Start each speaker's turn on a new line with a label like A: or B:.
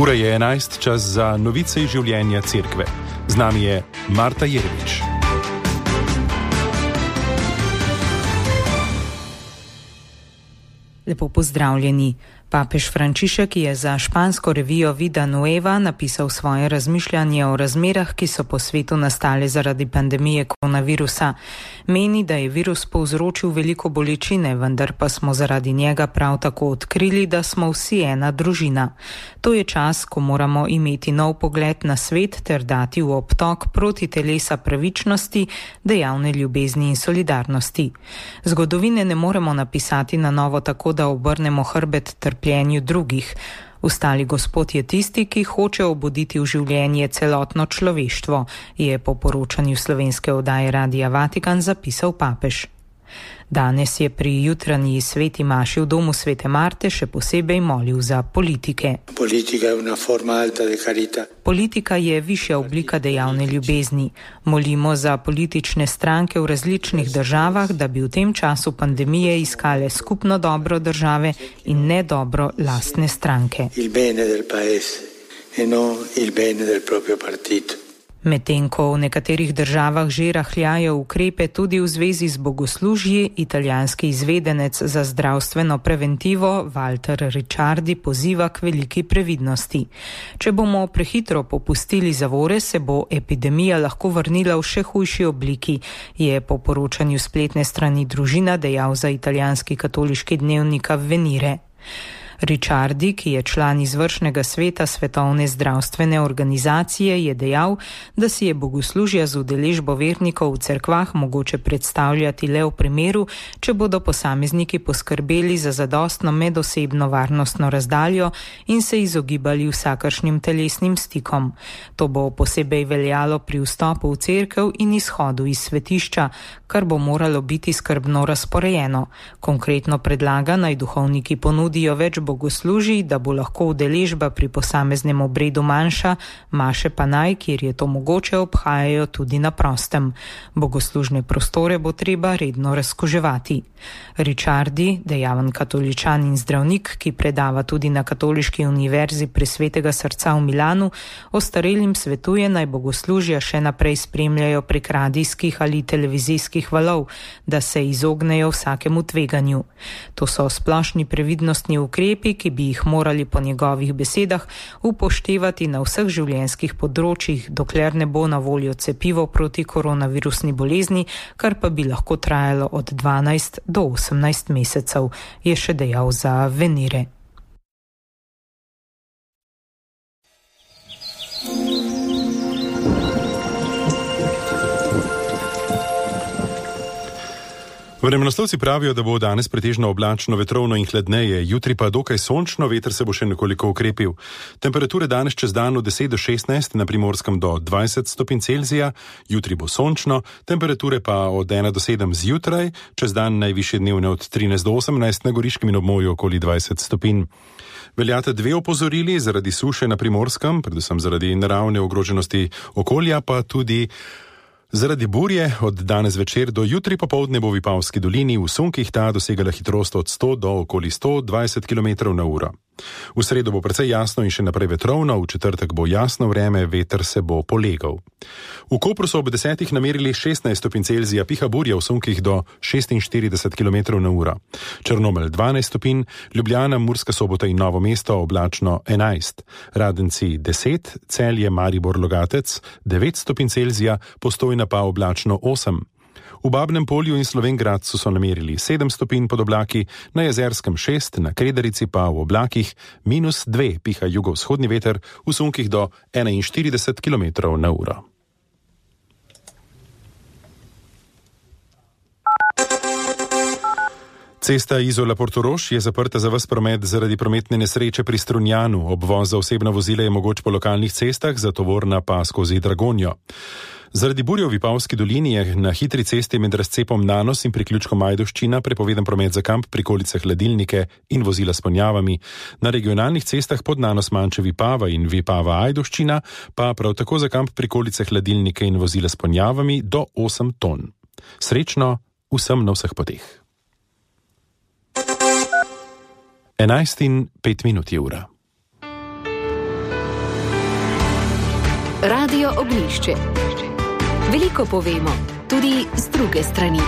A: Ura je 11, čas za novice iz življenja cerkve. Z nami je Marta Jeremič.
B: Lepo pozdravljeni. Papež Frančišek je za špansko revijo Vida Nueva napisal svoje razmišljanje o razmerah, ki so po svetu nastale zaradi pandemije koronavirusa. Meni, da je virus povzročil veliko bolečine, vendar pa smo zaradi njega prav tako odkrili, da smo vsi ena družina. To je čas, ko moramo imeti nov pogled na svet ter dati v obtok proti telesa pravičnosti, dejavne ljubezni in solidarnosti. Zgodovine ne moremo napisati na novo tako, da obrnemo hrbet trpljenju drugih. Ustali Gospod je tisti, ki hoče obuditi v življenje celotno človeštvo, je po poročanju slovenske oddaje Radia Vatikan zapisal papež. Danes je pri jutranji sveti maši v domu svete Marte še posebej molil za politike. Politika je višja oblika dejavne ljubezni. Molimo za politične stranke v različnih državah, da bi v tem času pandemije iskale skupno dobro države in ne dobro lastne stranke. Medtem ko v nekaterih državah že rahljajo ukrepe tudi v zvezi z bogoslužji, italijanski izvedenec za zdravstveno preventivo Walter Ricciardi poziva k veliki previdnosti. Če bomo prehitro popustili zavore, se bo epidemija lahko vrnila v še hujši obliki, je po poročanju spletne strani Družina dejal za italijanski katoliški dnevnik Avvenire. Ricciardi, ki je član izvršnega sveta Svetovne zdravstvene organizacije, je dejal, da si je bogoslužja z udeležbo vernikov v cerkvah mogoče predstavljati le v primeru, če bodo posamezniki poskrbeli za zadostno medosebno varnostno razdaljo in se izogibali vsakršnim telesnim stikom. To bo posebej veljalo pri vstopu v cerkev in izhodu iz svetišča, kar bo moralo biti skrbno razporejeno. Konkretno predlaga, naj duhovniki ponudijo več bogoslužij, da bo lahko udeležba pri posameznem obredu manjša, maše pa naj, kjer je to mogoče, obhajajo tudi na prostem. Bogoslužne prostore bo treba redno razkuževati. Ricciardi, dejaven katoličan in zdravnik, ki predava tudi na Katoliški univerzi pri Svetega srca v Milanu, ostarelim svetuje, naj bogoslužja še naprej spremljajo prek radijskih ali televizijskih valov, da se izognejo vsakemu tveganju. To so splošni previdnostni ukrepi, ki bi jih morali po njegovih besedah upoštevati na vseh življenjskih področjih, dokler ne bo na voljo cepivo proti koronavirusni bolezni, kar pa bi lahko trajalo od 12 do 18 mesecev, je še dejal za Avvenire.
A: Vremenoslovci pravijo, da bo danes pretežno oblačno, vetrovno in hladneje, jutri pa dokaj sončno, veter se bo še nekoliko ukrepil. Temperature danes čez dan od 10 do 16, na Primorskem do 20 stopinj Celzija, jutri bo sončno, temperature pa od 1 do 7 zjutraj, čez dan najvišje dnevne od 13 do 18, na Goriškem in območju okoli 20 stopinj. Veljata dve opozorili zaradi suše na Primorskem, predvsem zaradi naravne ogroženosti okolja, pa tudi zaradi burje. Od danes večer do jutri popoldne bo v Vipavski dolini v sunkih ta dosegala hitrost od 100 do okoli 120 km na uro. V sredo bo precej jasno in še naprej vetrovno, v četrtek bo jasno vreme, veter se bo polegal. V Kopru so ob 10 namerili 16 stopinj Celzija, piha burja v sunkih do 46 km na uro. Črnomelj 12 stopinj, Ljubljana, Murska Sobota in Novo mesto oblačno 11, Radenci 10, Celje, Maribor, Logatec 9 stopinj Celzija, Postojna pa oblačno 8. V Babnem Polju in Slovenj Gradcu so namerili 7 stopinj pod oblaki, na Jezerskem 6, na Kredarici pa v oblakih -2, piha jugovzhodni veter v sunkih do 41 km na uro. Cesta Izola-Portorož je zaprta za ves promet zaradi prometne nesreče pri Strunjanu. Obvoz za osebna vozila je mogoč po lokalnih cestah, za tovorna pa skozi Dragonjo. Zaradi burje v Vipavski dolini je na hitri cesti med razcepom Nanos in priključkom Ajdovščina prepovedan promet za kamp, prikolice, hladilnike in vozila s ponjavami. Na regionalnih cestah pod Nanos Manče Vipava in Vipava Ajdovščina pa prav tako za kamp, prikolice, hladilnike in vozila s ponjavami do 8 ton. Srečno vsem na vseh poteh. 11:05 je ura.
C: Radio Ognjišče. Veliko povemo, tudi z druge strani.